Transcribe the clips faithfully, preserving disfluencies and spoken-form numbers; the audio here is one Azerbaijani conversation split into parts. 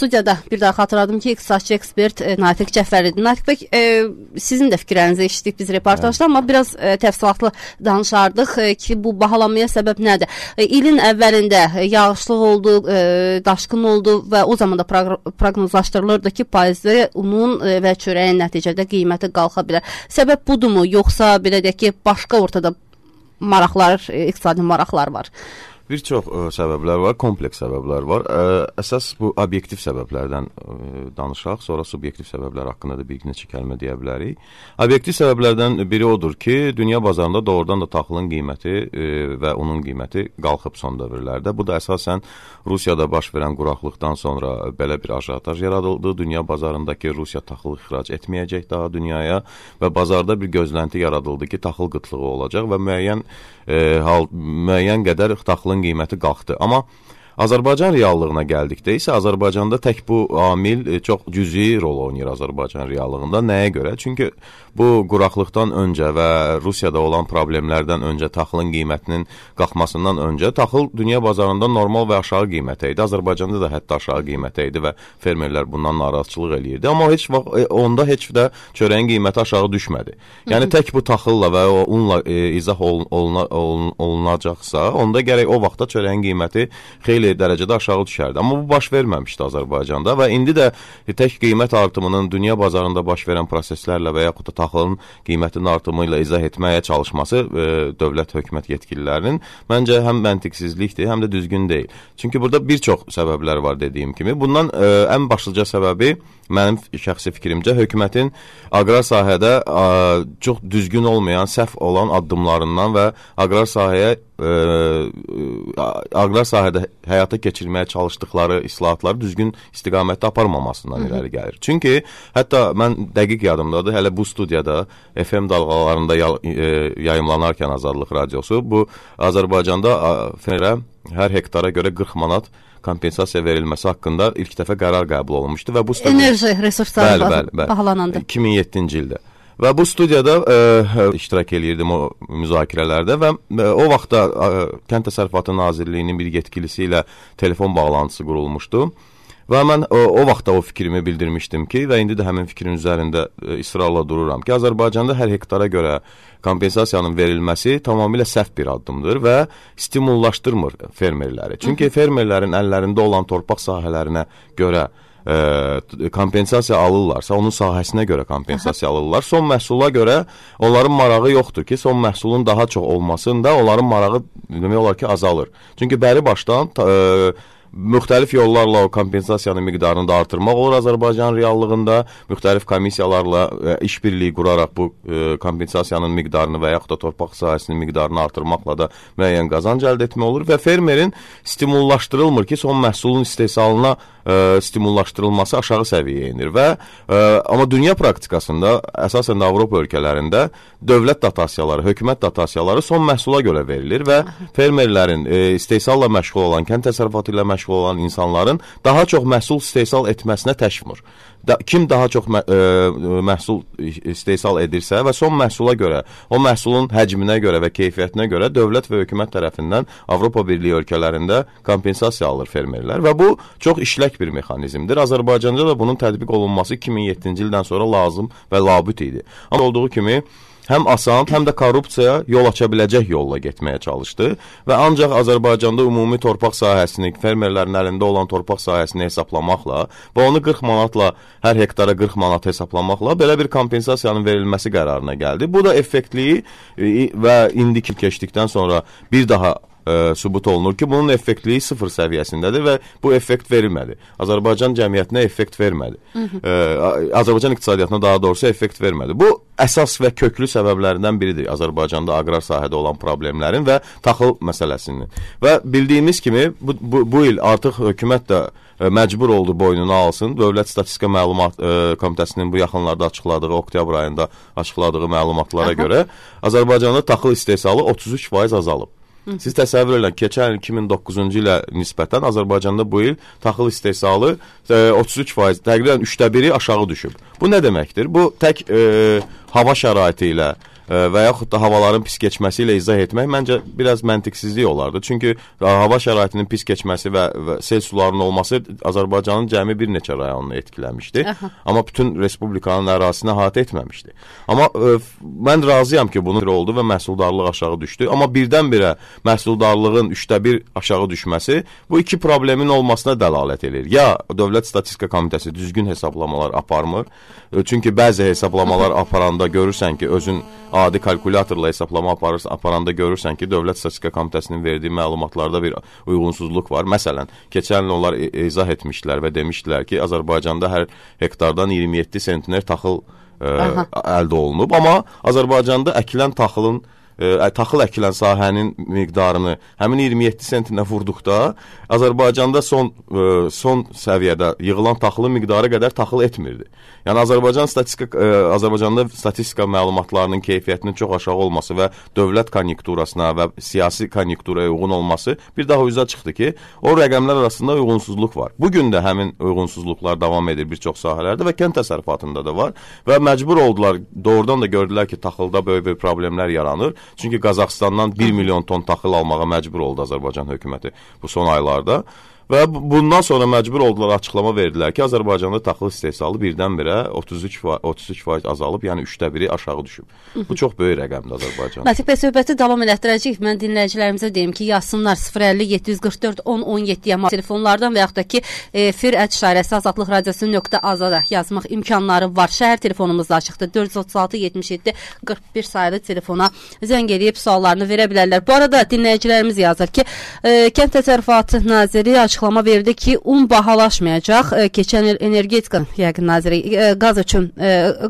studiyada bir daha xatırladım ki, iqtisadçı ekspert e, Natiq Cəfəridir. Natiq bəy, e, sizin də fikirlərinizi eşitdik biz reportajda, amma biraz e, təfsilatlı danışardıq e, ki, bu bahalanmaya səbəb nədir? E, ilin əvvəlində e, yağışlıq oldu, e, daşqın oldu və o zaman da proqnozlaşdırılırdı ki, paizli unun e, və çörəyin nəticədə qiyməti qalxa bilər. Səbəb budurmu, yoxsa belə deyək ki, başqa ortada maraqlar, e, iqtisadi maraqlar var? Bir çox ə, səbəblər var, kompleks səbəblər var. Ə, əsas bu obyektiv səbəblərdən ə, danışaq, sonra subyektiv səbəblər haqqında da bir neçə kəlmə deyə bilərik. Obyektiv səbəblərdən biri odur ki, dünya bazarında doğrudan da taxılın qiyməti ə, və onun qiyməti qalxıb son dövrlərdə. Bu da əsasən Rusiyada baş verən quraqlıqdan sonra belə bir ajotaj yaradıldı. Dünya bazarındakı Rusiya taxıl ixrac etməyəcək daha dünyaya və bazarda bir gözlənti yaradıldı ki, taxıl qıtlığı olacaq və müəyyən ə, hal, müəyyən qədər taxılın qiyməti qalxdı. Amma Azərbaycan reallığına gəldikdə isə Azərbaycanda tək bu amil çox cüzi rol oynayır Azərbaycan reallığında. Nəyə görə? Çünki bu quraqlıqdan öncə və Rusiyada olan problemlərdən öncə, taxılın qiymətinin qalxmasından öncə taxıl dünya bazarında normal və aşağı qiymətə idi. Azərbaycanda da hətta aşağı qiymətə idi və fermerlər bundan narazıçılıq eləyirdi. Amma heç vaxt onda heç də çörəyin qiyməti aşağı düşmədi. Yəni tək bu taxılla və o unla e, izah olun, oluna, olun, olunacaqsa, onda gərək o vaxtda çörəyin qiyməti xeyli dərəcədə aşağı düşərdi. Amma bu baş verməmişdi Azərbaycanda və indi də tək qiymət artımının dünya bazarında baş verən proseslərlə və yaxud da taxılın qiymətinin artımı ilə izah etməyə çalışması e, dövlət hökumət yetkililərinin məncə həm məntiqsizlikdir, həm də düzgün deyil. Çünki burada bir çox səbəblər var dediyim kimi. Bundan e, ən başlıca səbəbi mənim şəxsi fikrimcə hökumətin aqrar sahədə a, çox düzgün olmayan, səhv olan addımlarından və aqrar sahəyə ə, aqrar sahədə həyata keçirməyə çalışdıqları islahatları düzgün istiqamətdə aparmamasından irəli gəlir. Çünki hətta mən dəqiq yadımdadır, hələ bu studiyada F M dalğalarında yayımlanarkən Azadlıq Radiosu bu Azərbaycanda fermerə hər hektara görə qırx manat kompensasiya verilməsi haqqında ilk dəfə qərar qəbul olunmuşdu və bu studiyada enerji resursları bahalanandı. iki min yeddinci ildə. Və bu studiyada ə, iştirak eləyirdim o müzakirələrdə və ə, o vaxtda ə, Kənd Təsərrüfatı Nazirliyinin bir yetkilisi ilə telefon bağlantısı qurulmuşdu. Və mən o, o vaxtda o fikrimi bildirmişdim ki, və indi də həmin fikrin üzərində ə, israrla dururam ki, Azərbaycanda hər hektara görə kompensasiyanın verilməsi tamamilə səhv bir addımdır və stimullaşdırmır fermerləri. Çünki fermerlərin əllərində olan torpaq sahələrinə görə ə, kompensasiya alırlarsa, onun sahəsinə görə kompensasiya alırlar. Son məhsula görə onların marağı yoxdur ki, son məhsulun daha çox olmasında onların marağı demək olar ki, azalır. Çünki bəri başdan ə, müxtəlif yollarla o kompensasiyanın miqdarını da artırmaq olur Azərbaycan reallığında, müxtəlif komissiyalarla e, işbirliyi quraraq bu e, kompensasiyanın miqdarını və yaxud da torpaq sahəsinin miqdarını artırmaqla da müəyyən qazanc əldə etmək olur və fermerin stimullaşdırılmır ki, son məhsulun istehsalına e, stimullaşdırılması aşağı səviyyəyə enir və e, amma dünya praktikasında, əsasən də Avropa ölkələrində dövlət dotasiyaları, hökumət dotasiyaları son məhsula görə verilir və fermerlərin e, istehsalla məşğul olan, kənd təsərrüfatı ilə məşğul olan insanların daha çox məhsul istehsal etməsinə təşvir. Da, kim daha çox mə, ə, məhsul istehsal edirsə və son məhsula görə, o məhsulun həcminə görə və keyfiyyətinə görə dövlət və hökumət tərəfindən Avropa Birliyi ölkələrində kompensasiya alır fermerlər və bu çox işlək bir mexanizmdir. Azərbaycanda da bunun tətbiq olunması iki min yeddinci ildən sonra lazım və labüd idi. Amma olduğu kimi həm asan, həm də korrupsiyaya yol aça biləcək yolla getməyə çalışdı və ancaq Azərbaycanda ümumi torpaq sahəsini, fermerlərin əlində olan torpaq sahəsini hesablamaqla və onu qırx manatla, hər hektara qırx manat hesablamaqla belə bir kompensasiyanın verilməsi qərarına gəldi. Bu da effektliyi və indiki keçdikdən sonra bir daha Ə, sübut olunur ki, bunun effektliyi sıfır səviyyəsindədir və bu effekt verilmədi. Azərbaycan cəmiyyətinə effekt vermədi. Ə, Azərbaycan iqtisadiyyatına daha doğrusu effekt vermədi. Bu əsas və köklü səbəblərindən biridir Azərbaycanda aqrar sahədə olan problemlərin və taxıl məsələsinin. Və bildiyimiz kimi bu, bu, bu il artıq hökumət də məcbur oldu boynuna alsın. Dövlət Statistika Məlumat ə, Komitəsinin bu yaxınlarda açıqladığı, oktyabr ayında açıqladığı məlumatlara Aha. görə Azərbaycanda taxıl istehsalı otuz üç faiz azalıb. Siz təsəvvür edin, keçən il iki min doqquzuncu ilə nisbətən Azərbaycanda bu il taxıl istehsalı e, otuz üç faiz, təqribən üçdə biri aşağı düşüb. Bu nə deməkdir? Bu tək e, hava şəraiti ilə, və yaxud da havaların pis keçməsi ilə izah etmək məncə biraz məntiqsizlik olardı. Çünki hava şəraitinin pis keçməsi və, və sel sularının olması Azərbaycanın cəmi bir neçə rayonunu etkiləmişdi. Aha. Amma bütün respublikanın ərazisini əhatə etməmişdi. Amma ə, mən razıyam ki, bunun oldu və məhsuldarlıq aşağı düşdü. Amma birdən-birə məhsuldarlığın üçdə bir aşağı düşməsi bu iki problemin olmasına dəlalət edir. Ya Dövlət Statistika Komitəsi düzgün hesablamalar aparmır. Çünki bəzi hesablamalar aparanda görürsən ki, özün adi kalkulyatorla hesablama aparırsan, aparanda görürsən ki, Dövlət Statistika Komitəsinin verdiyi məlumatlarda bir uyğunsuzluq var. Məsələn, keçən il onlar izah etmişdilər və demişdilər ki, Azərbaycanda hər hektardan iyirmi yeddi sentner taxıl ə, əldə olunub. Amma Azərbaycanda əkilən taxılın Ə, taxıl əkilən sahənin miqdarını həmin iyirmi yeddi sentinə vurduqda Azərbaycanda son ə, son səviyyədə yığılan taxılın miqdarı qədər taxıl etmirdi. Yəni Azərbaycan statistika ə, Azərbaycanda statistika məlumatlarının keyfiyyətinin çox aşağı olması və dövlət konjunkturasına və siyasi konjunkturaya uyğun olması bir daha üzə çıxdı ki, o rəqəmlər arasında uyğunsuzluq var. Bu gün də həmin uyğunsuzluqlar davam edir bir çox sahələrdə və kənd təsərrüfatında da var və məcbur oldular, doğrudan da gördülər ki, taxılda böyük bir problemlər yaranır. Çünki Qazaxıstandan bir milyon ton taxıl almağa məcbur oldu Azərbaycan hökuməti bu son aylarda. Və bundan sonra məcbur oldular, açıqlama verdilər ki, Azərbaycanda taxıl istehsalı birdən-birə otuz üç faiz azalıb, yəni üçdə biri aşağı düşüb. Bu çox böyük rəqəmdir Azərbaycanda. Natiq bəy, söhbəti davam elətdirəcəyik. Mən dinləyicilərimizə deyim ki, yazsınlar sıfır əlli yeddi yüz qırx dörd on on yeddi telefonlardan və yaxud da ki, efir ət işarəsi azadlıq radiosu nöqtə azada yazmaq imkanları var. Şəhər telefonumuz da açıqdır. dörd yüz otuz altı yetmiş yeddi qırx bir sayılı telefona zəng edib suallarını verə bilərlər. Bu arada dinləyicilərimiz yazır ki, Kənd Təsərrüfatı Naziri açıqlama verdi ki, un bahalaşmayacaq. Keçən il energetika yəqin naziri qaz üçün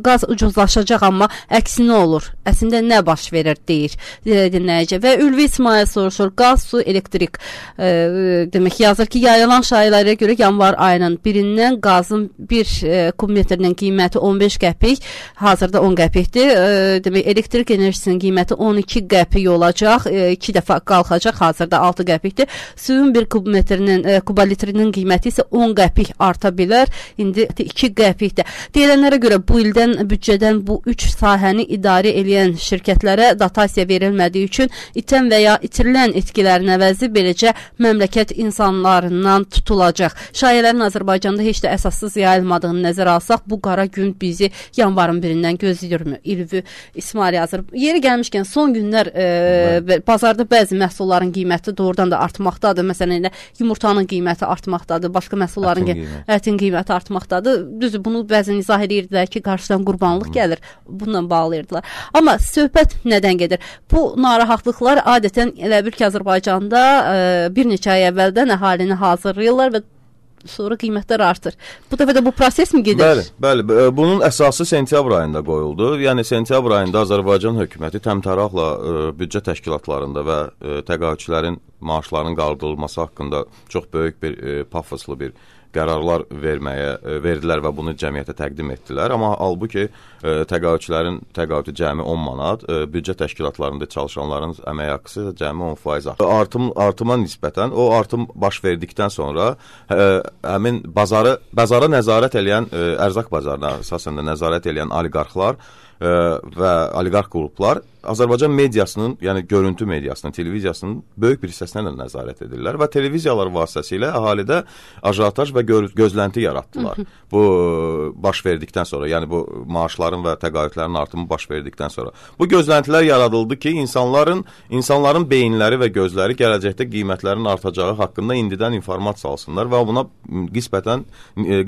qaz ucuzlaşacaq, amma əksinə olur. Əslində nə baş verir deyir dinləyici. Və Ülvi İsmail soruşur, qaz, su, elektrik e, demək yazır ki, yayılan şayiələrə görə yanvar ayının birindən qazın bir e, kubmetrinin qiyməti on beş qəpik, hazırda on qəpikdir. E, demək elektrik enerjisinin qiyməti on iki qəpik olacaq, e, iki dəfə qalxacaq, hazırda altı qəpikdir. Suyun bir kubmetrinin e, kubalitrinin qiyməti isə on qəpik arta bilər. İndi iki qəpikdir. Deyilənlərə görə bu ildən büdcədən bu üç sahəni idarə edən şirkətlərə dotasiya verilmədiyi üçün itən və ya itirilən etkilərin əvəzi beləcə məmləkət insanlarından tutulacaq. Şayələrin Azərbaycanda heç də əsassız yayılmadığını nəzərə alsaq, bu qara gün bizi yanvarın birindən gözləyirmi? İlvi İsmail yazır. Yeri gəlmişkən son günlər e, bazarda bəzi məhsulların qiyməti doğrudan da artmaqdadır. Məsələn, elə yumurtanın qiyməti artmaqdadır, başqa məhsulların ətin, qiymət. ətin qiyməti artmaqdadır. Düzdür, bunu bəzən izah edirdilər ki, qarşıdan qurbanlıq Hı. gəlir. Bununla bağlayırdılar. Amma söhbət nədən gedir? Bu narahatlıqlar adətən elə bir ki, Azərbaycanda e, bir neçə ay əvvəldən əhalini hazırlayırlar və sonra qiymətlər artır. Bu dəfə də bu proses mi gedir? Bəli, bəli. Bunun əsası sentyabr ayında qoyuldu. Yəni sentyabr ayında Azərbaycan hökuməti təmtəraqla e, büdcə təşkilatlarında və e, təqaüdçülərin maaşlarının qaldırılması haqqında çox böyük bir e, pafoslu bir qərarlar verməyə e, verdilər və bunu cəmiyyətə təqdim etdilər. Amma halbuki e, təqaüdçülərin təqaüdü cəmi on manat, e, büdcə təşkilatlarında çalışanların əmək haqqısı cəmi on faiz artım. Artım artıma nisbətən o artım baş verdikdən sonra e, həmin bazarı bazara nəzarət edən e, ərzaq bazarına əsasən də nəzarət edən oliqarxlar e, və oliqarx qruplar Azərbaycan mediasının, yəni görüntü mediasının, televiziyasının böyük bir hissəsinə də nəzarət edirlər və televiziyalar vasitəsilə əhalidə ajotaj və gö gözlənti yaratdılar. Hı -hı. Bu baş verdikdən sonra, yəni bu maaşların və təqaüdlərin artımı baş verdikdən sonra. Bu gözləntilər yaradıldı ki, insanların insanların beyinləri və gözləri gələcəkdə qiymətlərin artacağı haqqında indidən informasiya alsınlar və buna qisbətən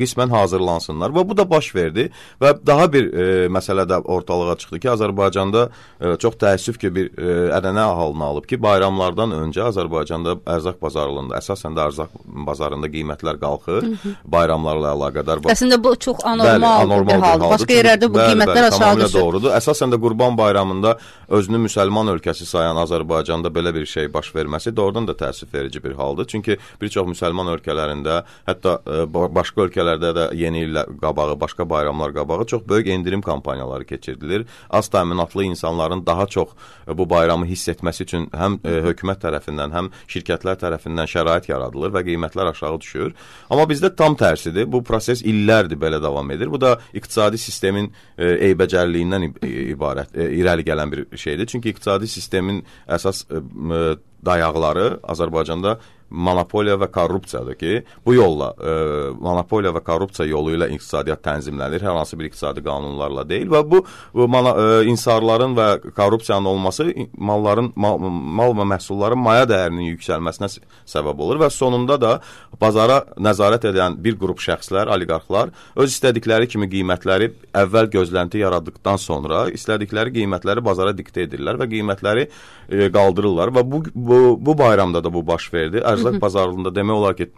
qismən hazırlansınlar. Və bu da baş verdi və daha bir e, məsələ də ortalığa çıxdı ki, Azərbaycanda e, çox təəssüf ki, bir e, ənənə halını alıb ki, bayramlardan öncə Azərbaycanda ərzaq bazarlığında, əsasən də ərzaq bazarında qiymətlər qalxır, Hı -hı. bayramlarla əlaqədar. Əslində bu çox anormal, bəli, anormal bir haldır. Başqa yerlərdə bu bəli, qiymətlər bəli, aşağı düşür. Doğrudur. Əsasən də Qurban bayramında özünü müsəlman ölkəsi sayan Azərbaycanda belə bir şey baş verməsi doğrudan da təəssüf verici bir haldır. Çünki bir çox müsəlman ölkələrində, hətta e, başqa ölkələrdə də yeni il qabağı, başqa bayramlar qabağı çox böyük endirim kampaniyaları keçirilir. Az təminatlı insanların daha çox bu bayramı hiss etməsi üçün həm e, hökumət tərəfindən, həm şirkətlər tərəfindən şərait yaradılır və qiymətlər aşağı düşür. Amma bizdə tam tərsidir. Bu proses illərdir belə davam edir. Bu da iqtisadi sistemin e, eybəcərliyindən ibarət, e, irəli gələn bir şeydir. Çünki iqtisadi sistemin əsas e, dayaqları Azərbaycanda monopoliya və korrupsiyadır ki, bu yolla e, monopoliya və korrupsiya yolu ilə iqtisadiyyat tənzimlənir, hər hansı bir iqtisadi qanunlarla deyil və bu, bu mana, e, insarların və korrupsiyanın olması malların mal, mal və məhsulların maya dəyərinin yüksəlməsinə səbəb olur və sonunda da bazara nəzarət edən bir qrup şəxslər, oliqarxlar öz istədikləri kimi qiymətləri əvvəl gözlənti yaratdıqdan sonra istədikləri qiymətləri bazara diktə edirlər və qiymətləri e, qaldırırlar və bu, bu, bu bayramda da bu baş verdi. Ərzaq bazarlığında demək olar ki,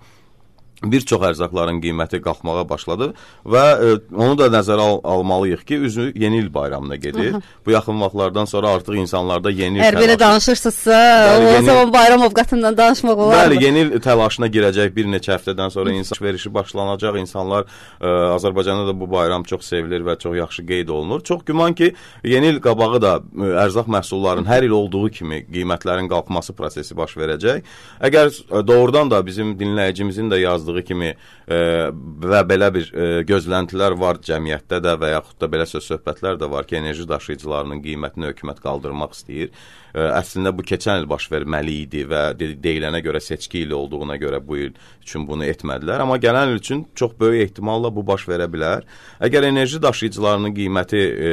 bir çox ərzaqların qiyməti qalxmağa başladı və e, onu da nəzərə al almalıyıq ki, üzü yeni il bayramına gedir. Aha. Bu yaxın vaxtlardan sonra artıq insanlarda yeni il təlaşı... Əgər belə danışırsınızsa, o yeni... zaman bayram ovqatından danışmaq olar Bəli, mı? Yeni il təlaşına girəcək bir neçə həftədən sonra insan verişi başlanacaq. İnsanlar, e, Azərbaycanda da bu bayram çox sevilir və çox yaxşı qeyd olunur. Çox güman ki, yeni il qabağı da e, ərzaq məhsullarının hər il olduğu kimi qiymətlərin qalxması prosesi baş verəcək. Əgər e, doğrudan da bizim dinləyicimizin də yazdığı kimi e, və belə bir e, gözləntilər var cəmiyyətdə də və yaxud da belə söz-söhbətlər də var ki, enerji daşıyıcılarının qiymətini hökumət qaldırmaq istəyir. E, əslində bu keçən il baş verməli idi və de deyilənə görə seçki ili olduğuna görə bu il üçün bunu etmədilər. Amma gələn il üçün çox böyük ehtimalla bu baş verə bilər. Əgər enerji daşıyıcılarının qiyməti e,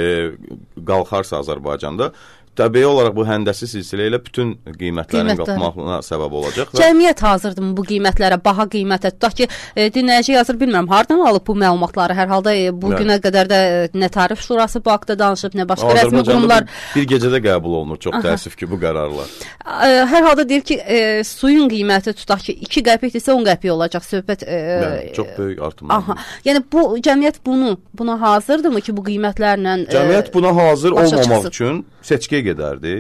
qalxarsa Azərbaycanda, təbii olaraq bu həndəsi silsilə ilə bütün qiymətlərin qalxmağına səbəb olacaq. Cəmiyyət hazırdırmı bu qiymətlərə, baha qiymətə? Tutaq ki, e, dinləyici yazır, bilmirəm, hardan alıb bu məlumatları? Hər halda e, bu günə qədər də e, nə Tarif Şurası bu haqda danışıb, nə başqa rəsmi qurumlar. Bir gecədə qəbul olunur, çox Aha. təəssüf ki, bu qərarlar. E, hər halda deyir ki, e, suyun qiyməti tutaq ki, iki qəpikdirsə on qəpik olacaq söhbət. E, Bəli, çox böyük artım. Aha. Yəni bu cəmiyyət bunu, buna hazırdırmı ki, bu qiymətlərlə e, Cəmiyyət buna hazır olmamaq çıxsın. Üçün seçkiyə gedərdi.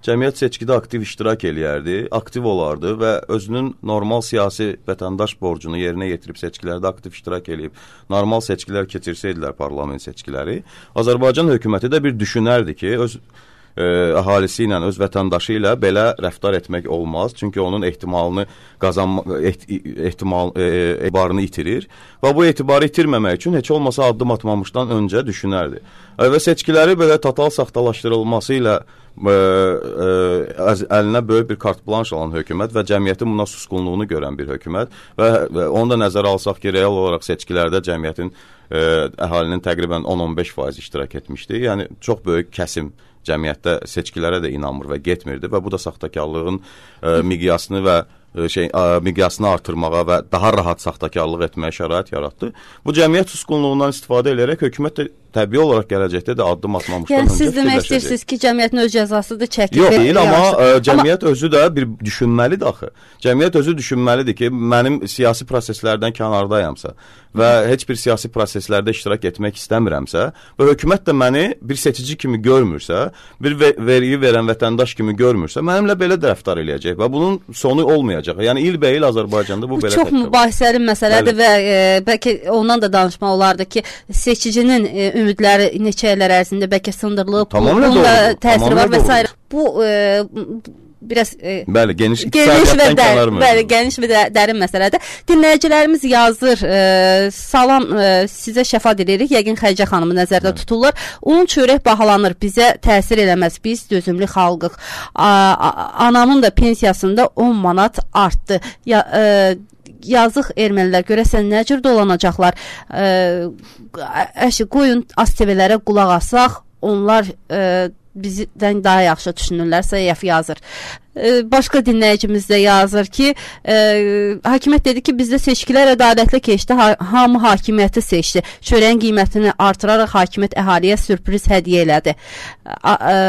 Cəmiyyət seçkidə aktiv iştirak eləyərdi, aktiv olardı və özünün normal siyasi vətəndaş borcunu yerinə yetirib seçkilərdə aktiv iştirak eləyib, normal seçkilər keçirsəydilər parlament seçkiləri, Azərbaycan hökuməti də bir düşünərdi ki, öz ə, əhalisi ilə, öz vətəndaşı ilə belə rəftar etmək olmaz. Çünki onun ehtimalını qazanma, eht, ehtimal, e, etibarını itirir və bu etibarı itirməmək üçün heç olmasa addım atmamışdan öncə düşünərdi. Və seçkiləri belə total saxtalaşdırılması ilə ə, ə, əlinə böyük bir kart blanş alan hökumət və cəmiyyətin buna susqunluğunu görən bir hökumət və, və onu da nəzərə alsaq ki, real olaraq seçkilərdə cəmiyyətin ə, əhalinin təqribən on on beş faiz iştirak etmişdi. Yəni çox böyük kəsim cəmiyyətdə seçkilərə də inanmır və getmirdi və bu da saxtakarlığın ə, miqyasını və şey ə, miqyasını artırmağa və daha rahat saxtakarlıq etməyə şərait yaratdı. Bu cəmiyyət susqunluğundan istifadə edərək hökumət də təbii olaraq gələcəkdə də addım atmamışdan yəni, öncə siz demək istəyirsiniz ki, cəmiyyətin öz cəzasıdır çəkib. Yox, deyil, amma ə, cəmiyyət amma... özü də bir düşünməlidir axı. Cəmiyyət özü düşünməlidir ki, mənim siyasi proseslərdən kənardayamsa və heç bir siyasi proseslərdə iştirak etmək istəmirəmsə və hökumət də məni bir seçici kimi görmürsə, bir vergi verən vətəndaş kimi görmürsə, mənimlə belə də rəftar eləyəcək və bunun sonu olmayacaq. Yəni il-bəyil Azərbaycanda bu, bu belə çox mübahisəli məsələdir və e, bəlkə ondan da danışmaq olardı ki, seçicinin e, ümidləri neçə illər ərzində bəlkə sındırılıb, bunun da təsiri var və s. Bu e, biraz e, bəli, geniş, geniş və dərin, bəli, geniş və dərin məsələdir. Dinləyicilərimiz yazır, e, salam, e, sizə şəfa diləyirik. Yəqin Xədicə xanımı nəzərdə bəli. Tutulur. Un çörək bahalanır, bizə təsir eləməz. Biz dözümlü xalqıq. A, a, anamın da pensiyasında on manat artdı. Ya, e, yazıq ermənilər görəsən nə cür dolanacaqlar. Əşi, qoyun az T V-lərə qulaq asaq, onlar e, bizdən daha yaxşı düşünürlər, Səyəf yazır. E, başqa dinləyicimiz də yazır ki, e, hakimiyyət dedi ki, bizdə seçkilər ədalətli keçdi, ha hamı hakimiyyəti seçdi. Çörəyin qiymətini artıraraq hakimiyyət əhaliyə sürpriz hədiyyə elədi. A, e,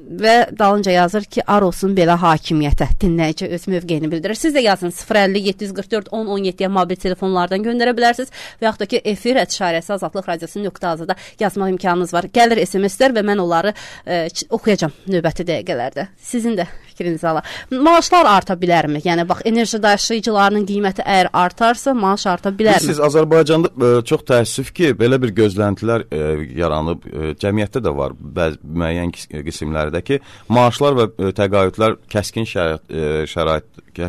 və dalınca yazır ki, ar olsun belə hakimiyyətə. Dinləyici öz mövqeyini bildirir. Siz də yazın sıfır əlli yeddi yüz qırx dörd on on yeddiyə mobil telefonlardan göndərə bilərsiniz və yaxud da ki, efir ət-işarəsi Azadlıq Radiosu nöqtə azada yazmaq imkanınız var. Gəlir S M S-lər və mən onları e, oxuyacağam növbəti dəqiqələrdə. Sizin də fikrinizi ala. Maaşlar arta bilərmi? Yəni, bax, enerji daşıyıcılarının qiyməti əgər artarsa, maaş arta bilərmi? Siz Azərbaycanda e, çox təəssüf ki, belə bir gözləntilər e, yaranıb, e, cəmiyyətdə də var bəzi müəyyən qismlərdə ki, maaşlar və ə, təqaüdlər kəskin şərait, ə, şərait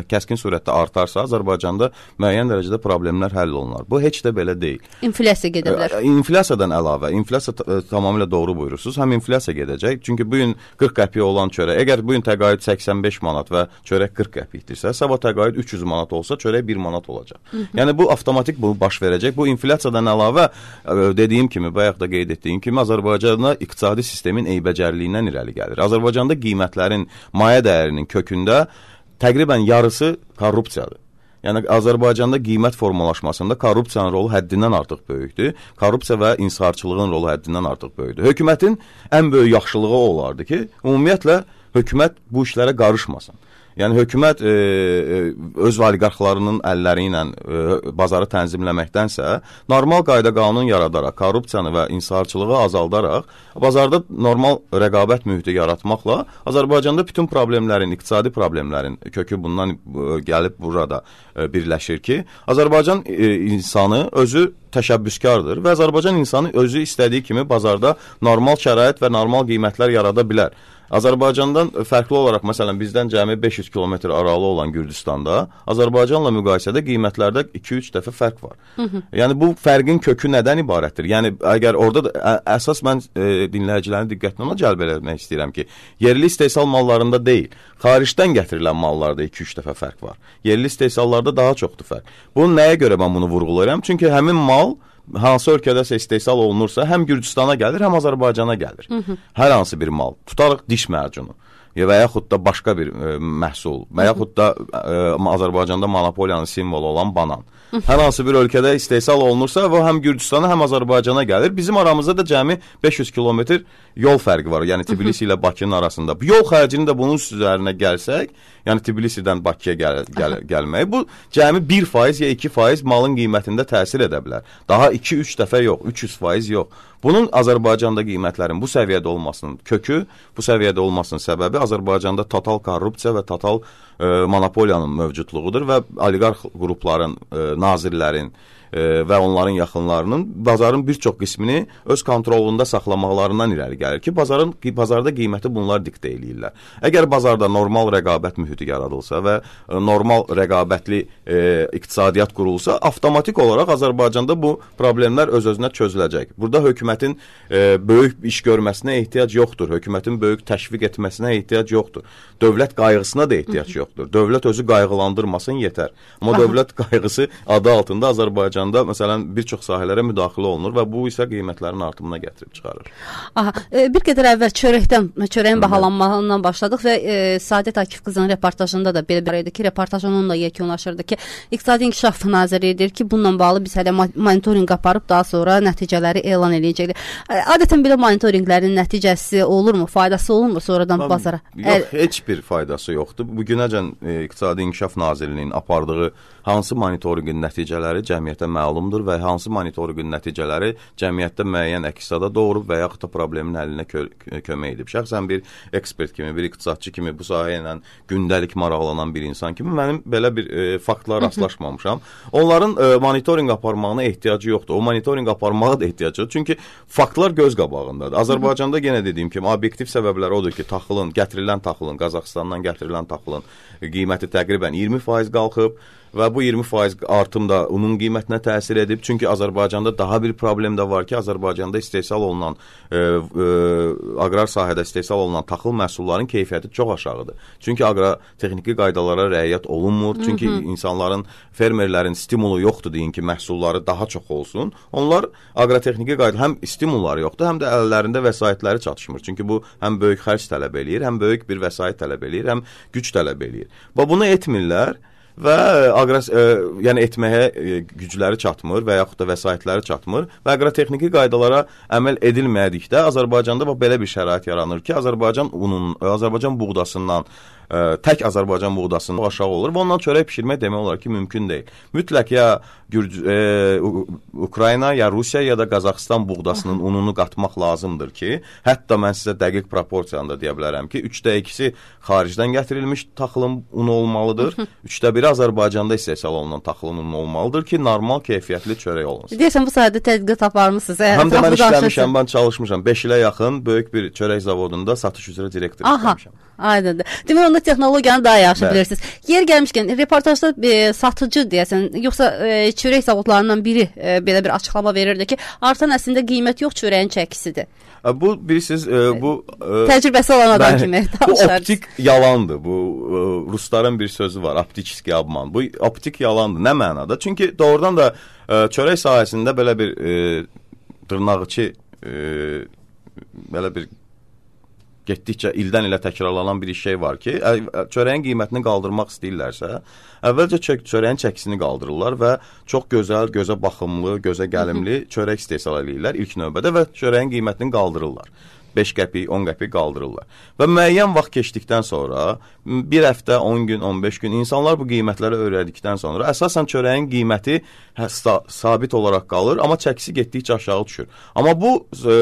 kəskin surətdə artarsa, Azərbaycanda müəyyən dərəcədə problemlər həll olunar. Bu heç də belə deyil. İnflyasiya gedə bilər. İnflyasiyadan əlavə, inflyasiya tamamilə doğru buyurursunuz. Həm inflyasiya gedəcək, çünki bu gün qırx qəpik olan çörək, əgər bu gün təqaüd səksən beş manat və çörək qırx qəpikdirsə, sabah təqaüd üç yüz manat olsa, çörək bir manat olacaq. Hı -hı. Yəni bu avtomatik bu baş verəcək. Bu inflyasiyadan əlavə dediyim kimi, bayaq da qeyd etdiyim kimi Azərbaycanda iqtisadi sistemin eybəcərliyindən irəli gəlir. Azərbaycanda qiymətlərin, mayə dəyərinin kökündə təqribən yarısı korrupsiyadır. Yəni Azərbaycanda qiymət formalaşmasında korrupsiyanın rolu həddindən artıq böyükdür. Korrupsiya və inhisarçılığın rolu həddindən artıq böyükdür. Hökumətin ən böyük yaxşılığı olardı ki, ümumiyyətlə hökumət bu işlərə qarışmasın. Yəni hökumət e, öz oliqarxlarının əlləri ilə e, bazarı tənzimləməkdənsə, normal qayda qanun yaradaraq, korrupsiyanı və inhisarçılığı azaldaraq, bazarda normal rəqabət mühiti yaratmaqla Azərbaycanda bütün problemlərin, iqtisadi problemlərin kökü bundan e, gəlib burada e, birləşir ki, Azərbaycan e, insanı özü təşəbbüskardır və Azərbaycan insanı özü istədiyi kimi bazarda normal şərait və normal qiymətlər yarada bilər. Azərbaycandan fərqli olaraq, məsələn, bizdən cəmi beş yüz kilometr aralı olan Gürcüstanda Azərbaycanla müqayisədə qiymətlərdə iki üç dəfə fərq var. Hı -hı. Yəni bu fərqin kökü nədən ibarətdir? Yəni əgər orada da, ə, əsas mən e, dinləyicilərin diqqətini ona cəlb etmək istəyirəm ki, yerli istehsal mallarında deyil, xaricdən gətirilən mallarda iki üç dəfə fərq var. Yerli istehsallarda daha çoxdur fərq. Bunu nəyə görə mən bunu vurğulayıram? Çünki həmin mal hansı ölkədəsə istehsal olunursa, həm Gürcüstana gəlir, həm Azərbaycana gəlir. Hı -hı. Hər hansı bir mal. Tutarıq diş mərcunu və yaxud da başqa bir e, məhsul və yaxud da e, Azərbaycanda monopoliyanın simvolu olan banan. Hər hansı bir ölkədə istehsal olunursa, və həm Gürcüstana, həm Azərbaycana gəlir. Bizim aramızda da cəmi beş yüz kilometr yol fərqi var. Yəni Tbilisi ilə Bakının arasında. Bu yol xərcini də bunun üzərinə gəlsək, yəni Tbilisidən Bakıya gəl, gəl, gəlmək, bu cəmi bir faiz ya iki faiz malın qiymətində təsir edə bilər. Daha iki üç dəfə yox, üç yüz faiz yox. Bunun Azərbaycanda qiymətlərin bu səviyyədə olmasının kökü, bu səviyyədə olmasının səbəbi Azərbaycanda total korrupsiya və total e, monopoliyanın mövcudluğudur və oliqarx qrupların, e, nazirlərin e, və onların yaxınlarının bazarın bir çox qismini öz kontrolunda saxlamaqlarından irəli gəlir ki, bazarın bazarda qiyməti bunlar diktə eləyirlər. Əgər bazarda normal rəqabət mühiti yaradılsa və e, normal rəqabətli e, iqtisadiyyat qurulsa, avtomatik olaraq Azərbaycanda bu problemlər öz-özünə çözüləcək. Burada hökumətin e, böyük iş görməsinə ehtiyac yoxdur. Hökumətin böyük təşviq etməsinə ehtiyac yoxdur. Dövlət qayğısına da ehtiyac yoxdur. Dövlət özü qayğılandırmasın yetər. Amma Aha. dövlət qayğısı adı altında Azərbaycanda məsələn bir çox sahələrə müdaxilə olunur və bu isə qiymətlərin artımına gətirib çıxarır. Aha, e, bir qədər əvvəl çörəkdən, çörəyin bahalanmağından başladıq və e, Səadət Akif qızının reportajında da belə bir idi ki, reportaj onunla yekunlaşırdı ki, İqtisadi İnkişaf Nazirliyi deyir ki, bununla bağlı biz hələ monitorinq aparıb daha sonra nəticələri elan edəcəkdir. Adətən belə monitorinqlərin nəticəsi olurmu, faydası olurmu sonradan Tam, bazara? Yox, Əl heç bir faydası yoxdur. Bugünəcən e, İqtisadi İnkişaf Nazirliyinin apardığı hansı monitorinqin nəticələri cəmiyyətə məlumdur və hansı monitorinqin nəticələri cəmiyyətdə müəyyən əks-səda doğurub və yaxud da problemin həllinə kö kömək edib. Şəxsən bir ekspert kimi, bir iqtisadçı kimi, bu sahə ilə gündəlik maraqlanan bir insan kimi mənim belə bir e, faktla rastlaşmamışam. Onların e, monitorinq aparmağına ehtiyacı yoxdur. O monitorinq aparmağa da ehtiyacı yoxdur. Çünki faktlar göz qabağındadır. Azərbaycanda yenə dediyim kimi obyektiv səbəblər odur ki, taxılın, gətirilən taxılın, Qazaxıstandan gətirilən taxılın qiyməti təqribən iyirmi faiz qalxıb və bu iyirmi faiz artım da unun qiymətinə təsir edib. Çünki Azərbaycanda daha bir problem də var ki, Azərbaycanda istehsal olunan, e, e, aqrar sahədə istehsal olunan taxıl məhsullarının keyfiyyəti çox aşağıdır. Çünki aqrotexniki qaydalara riayət olunmur. Çünki Hı -hı. insanların, fermerlərin stimulu yoxdur deyin ki, məhsulları daha çox olsun. Onlar aqrotexniki qayda həm stimulları yoxdur, həm də əllərində vəsaitləri çatışmır. Çünki bu həm böyük xərc tələb eləyir, həm böyük bir vəsait tələb eləyir, həm güc tələb eləyir. Və bunu etmirlər. Və aqras, e, yəni etməyə e, gücləri çatmır və yaxud da vəsaitləri çatmır və aqrotexniki qaydalara əməl edilmədikdə Azərbaycanda belə bir şərait yaranır ki, Azərbaycan unun, Azərbaycan buğdasından ə, tək Azərbaycan buğdasından aşağı olur və ondan çörək pişirmək demək olar ki, mümkün deyil. Mütləq ya Gürc e, Ukrayna, ya Rusiya, ya da Qazaxıstan buğdasının ununu qatmaq lazımdır ki, hətta mən sizə dəqiq proporsiyanı da deyə bilərəm ki, üçdə ikisi xaricdən gətirilmiş taxılın unu olmalıdır, üçdə biri Azərbaycanda istehsal olunan taxılın unu olmalıdır ki, normal keyfiyyətli çörək olunsun. Deyəsən bu sayədə tədqiqat aparmısınız. Həm də mən işləmişəm, mən çalışmışam. beş ilə yaxın böyük bir çörək zavodunda satış üzrə direktor işləmişəm. Aydındır. Demək, onda da texnologiyanı daha yaxşı Bəli. bilirsiniz. Yer gəlmişkən reportajda e, satıcı deyəsən, yoxsa e, çörək zavodlarından biri e, belə bir açıqlama verirdi ki, artan əslində qiymət yox, çörəyin çəkisidir. Bu bilirsiniz, e, bu e, təcrübəsi olan adam bəli, kimi bu danışarız. optik yalandır. Bu e, Rusların bir sözü var, optiski obman. Bu optik yalandır. Nə mənada? Çünki doğrudan da e, çörək sahəsində belə bir e, dırnaqçı e, belə bir getdikcə ildən ilə təkrarlanan bir şey var ki, çörəyin qiymətini qaldırmaq istəyirlərsə, əvvəlcə çörəyin çəkisini qaldırırlar və çox gözəl, gözə baxımlı, gözə gəlimli çörək istehsal edirlər ilk növbədə və çörəyin qiymətini qaldırırlar. beş qəpik, on qəpik qaldırırlar. Və müəyyən vaxt keçdikdən sonra, bir həftə, on gün, on beş gün insanlar bu qiymətləri öyrədikdən sonra əsasən çörəyin qiyməti sabit olaraq qalır, amma çəkisi getdikcə aşağı düşür. Amma bu e,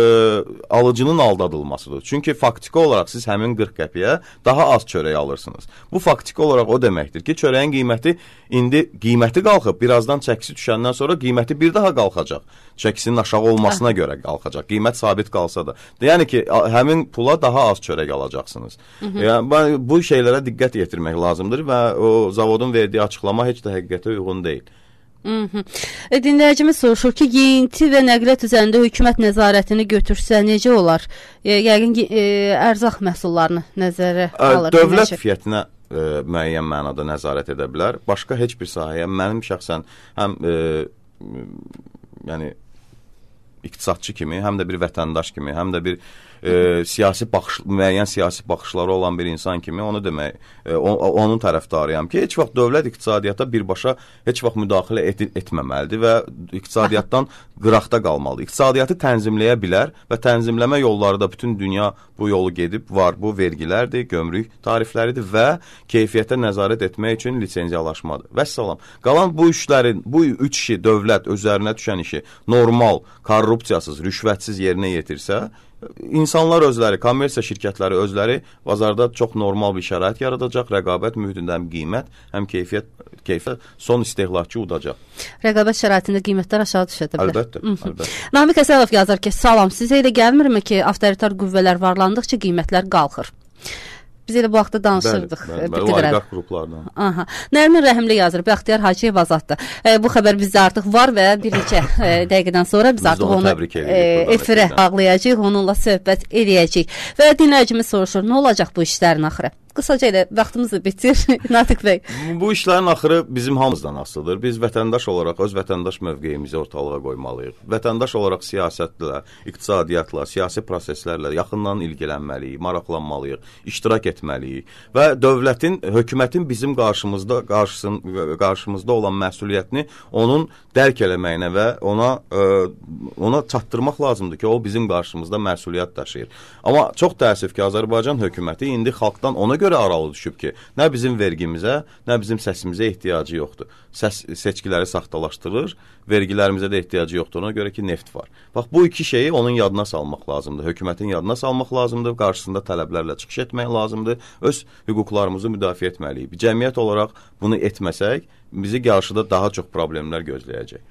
alıcının aldadılmasıdır. Çünki faktiki olaraq siz həmin qırx qəpiyə daha az çörək alırsınız. Bu faktiki olaraq o deməkdir ki, çörəyin qiyməti indi qiyməti qalxıb, birazdan çəkisi düşəndən sonra qiyməti bir daha qalxacaq. Çəkisinin aşağı olmasına görə qalxacaq. Qiymət sabit qalsa da. Yəni ki, həmin pula daha az çörək alacaqsınız. Yəni, bu şeylərə diqqət yetirmək lazımdır və o zavodun verdiyi açıqlama heç də həqiqətə uyğun deyil. E, dinləyicimiz soruşur ki, yeyinti və nəqliyyat üzərində hökumət nəzarətini götürsə necə olar? E, yəqin ki, e, ərzaq məhsullarını nəzərə alır. Dövlət keyfiyyətinə e, müəyyən mənada nəzarət edə bilər. Başqa heç bir sahəyə mənim şəxsən həm e, yəni iqtisadçı kimi, həm də bir vətəndaş kimi, həm də bir e, siyasi baxış, müəyyən siyasi baxışları olan bir insan kimi onu demək, e, o, onun tərəfdarıyam ki, heç vaxt dövlət iqtisadiyyata birbaşa heç vaxt müdaxilə et, etməməlidir və iqtisadiyyatdan qıraqda qalmalıdır. İqtisadiyyatı tənzimləyə bilər və tənzimləmə yolları da bütün dünya bu yolu gedib var. Bu vergilərdir, gömrük tarifləridir və keyfiyyətə nəzarət etmək üçün lisenziyalaşmadır. Vəssalam. Qalan bu işlərin, bu üç işi dövlət özlərinə düşən işi normal, korrupsiyasız, rüşvətsiz yerinə yetirsə, İnsanlar özləri, kommersiya şirkətləri özləri bazarda çox normal bir şərait yaradacaq, rəqabət mühitində həm qiymət, həm keyfiyyət, keyfiyyət son istehlakçı udacaq. Rəqabət şəraitində qiymətlər aşağı düşə bilər. Əlbəttə, əlbəttə. Namiq Əsədov yazır ki, salam, sizə elə gəlmirmi ki, avtoritar qüvvələr varlandıqca qiymətlər qalxır? Biz elə bu vaxtda danışırdıq. Bəli, bəli, oliqarx qruplardan. Aha. Nərmin Rəhimli yazır, Bəxtiyar Hacıyev azaddır. E, bu xəbər bizdə artıq var və bir neçə e, dəqiqədən sonra biz, biz artıq onu, onu e, efirə bağlayacağıq, onunla söhbət eləyəcəyik. Və dinləyicimiz soruşur, nə olacaq bu işlərin axırı? Qısaca elə vaxtımızı bitir, Natiq bəy. Bu işlərin axırı bizim hamımızdan asılıdır. Biz vətəndaş olaraq öz vətəndaş mövqeyimizi ortalığa qoymalıyıq. Vətəndaş olaraq siyasətlə, iqtisadiyyatla, siyasi proseslərlə yaxından ilgilənməliyik, maraqlanmalıyıq, iştirak etməliyik və dövlətin, hökumətin bizim qarşımızda qarşısın, qarşımızda olan məsuliyyətini onun dərk eləməyinə və ona ə, ona çatdırmaq lazımdır ki, o bizim qarşımızda məsuliyyət daşıyır. Amma çox təəssüf ki, Azərbaycan hökuməti indi xalqdan ona görə aralı düşüb ki, nə bizim vergimizə, nə bizim səsimizə ehtiyacı yoxdur. Səs seçkiləri saxtalaşdırır, vergilərimizə də ehtiyacı yoxdur, ona görə ki, neft var. Bax, bu iki şeyi onun yadına salmaq lazımdır. Hökumətin yadına salmaq lazımdır, qarşısında tələblərlə çıxış etmək lazımdır, öz hüquqlarımızı müdafiə etməliyik. Bir cəmiyyət olaraq bunu etməsək, bizi qarşıda daha çox problemlər gözləyəcək.